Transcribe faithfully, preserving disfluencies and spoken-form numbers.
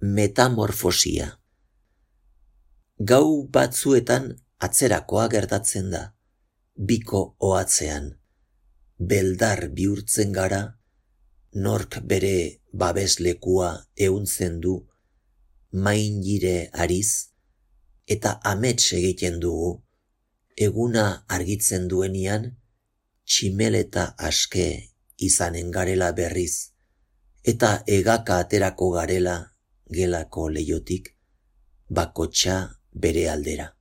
Metamorfosia. Gau batzuetan atzerakoa gertatzen da, biko ohatzean. Beldar bihurtzen gara, nork bere babeslekua ehuntzen du, maingire ariz, eta amets egiten dugu, eguna argitzen duenian, tximeleta aske izanen garela berriz, eta egaka aterako garela gelako leiotik, bakotxa bere aldera.